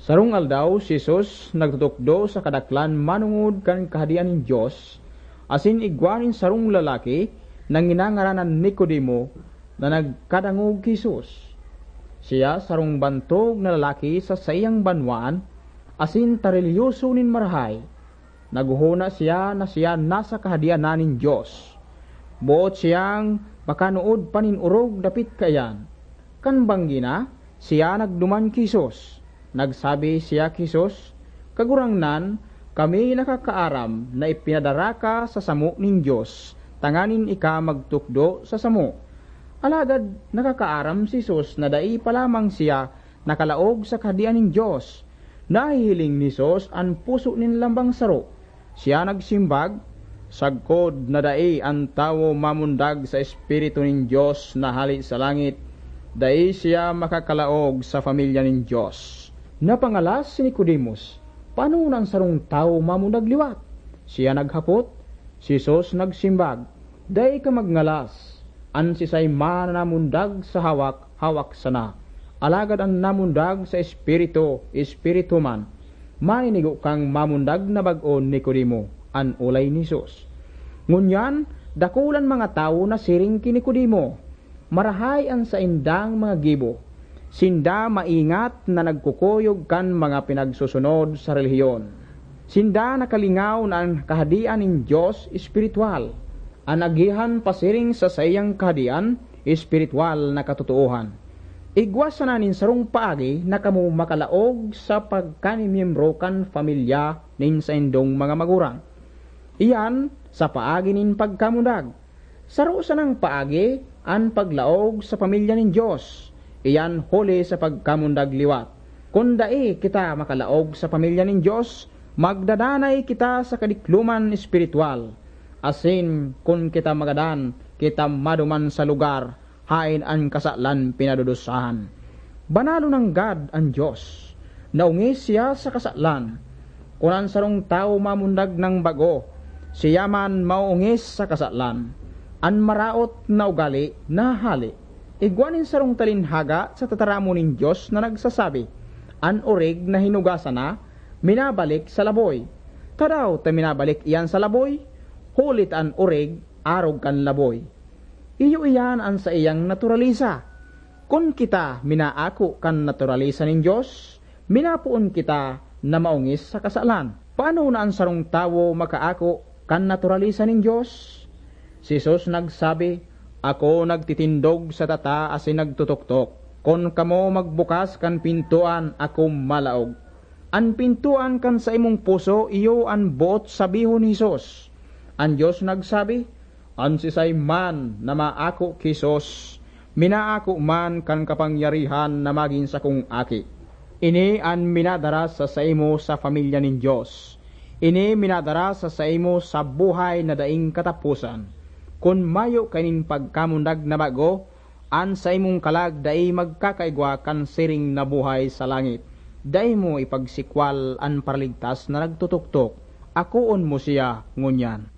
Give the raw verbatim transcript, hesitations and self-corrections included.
Sarong aldaw, si Jesus nagtutukdo sa kadaklan manongod kan Kahadean nin Dios, asin igwa nin sarong lalaki na nginangaranan Nicodemo na nagkadangog ki Jesus. Siya sarong bantog na lalaki sa saiyang banwaan asin ta relihiyoso nin marahay. Naghohona siya na siya nasa Kahadean na nin Dios. Boot siyang makanood pa nin orog dapit kaiyan. Kan banggi na, siya nagduman ki Jesus. Nagsabi siya ki Jesus, "Kagurangnan, kami nakakaaram na ipinadara ka sa samo nin Dios tanganing ika magtukdo sa samo. Alagad nakakaaram si Jesus na dai pa lamang siya nakalaog sa Kahadean nin Dios. Nahihiling ni Jesus an puso nin lambang saro. Siya nagsimbag, "Sagkod na dai an tawo mamundag sa Espiritu nin Dios na hale sa langit, dai siya makakalaog sa pamilya nin Dios." Napangalas si Nicodemus, "Paano na an sarong tawo mamundag liwat?" Siya naghapot, si Jesus nagsimbag, "Dai ka magngalas. An sisay man na namundag sa hawak, hawak sana. Alagad an namundag sa Espiritu, espiritu man." "Maninigo kang mamundag na bag-o, Nicodemo," an olay ni Jesus. Ngunyan, dakulang mga tawo nasiring ki Nicodemo, marahay an saindang mga gibo. Sinda maingat na nagkukuyog kan mga pinagsusunod sa relihiyon. Sinda nakalingaw na an Kahadean nin Dios espiritual. An agihan pasiring sa saiyang kahadean, espiritual na katotoohan. Igwa sana nin sarong paagi na kamo makalaog sa pagkamiyembro kan pamilya nin saindong mga magurang. Iyan sa paagi nin pagkamundag. Saro sanang paagi an paglaog sa pamilya nin Dios, iyan huli sa pagkamundag liwat. Kun dai kita makalaog sa pamilya nin Dios, magdadanay kita sa kadikloman espiritual. Asin kun kita magadan, kita maduman sa lugar haen an kasalan pinadudusahan. Banal nanggad an Dios. Naongis siya sa kasalan. Kun an sarong tawo mamundag nang bago, siya man maoongis sa kasalan. An maraot na ugale nahahale. Igwa nin sarong talinhaga sa tataramon nin Dios na nagsasabi, "An orig na hinugasan na, minabalik sa laboy." Tadaw ta minabalik iyan sa laboy? Huli ta an orig arog kan laboy. Iyo iyan an saiyang naturalisa. Kun kita minaako kan naturalisa nin Dios, minapoon kita na maongis sa kasalan. Paano na an sarong tawo makaako kan naturalisa nin Dios? Si Jesus nagsabi, "Ako nagtitindog sa tata asin nagtutuktok. Kun kamo magbukas kan pintoan, ako malaog." An pintoan kan saimong puso iyo an boot sabihon ni Jesus. An Dios nagsabi, "An sisay man na maako ki Jesus, minaako man kan kapangyarihan na magin sakong aki." Ini an minadara sa saimo sa pamilya nin Dios. Ini minadara sa saimo sa buhay na daing kataposan. Kun mayo ka nin pagkamundag na bago, an saimong kalag dai magkakaigwa kan siring na buhay sa langit. Dai mo ipagsikwal an Paraligtas na nagtutuktok. Akoon mo siya ngunyan.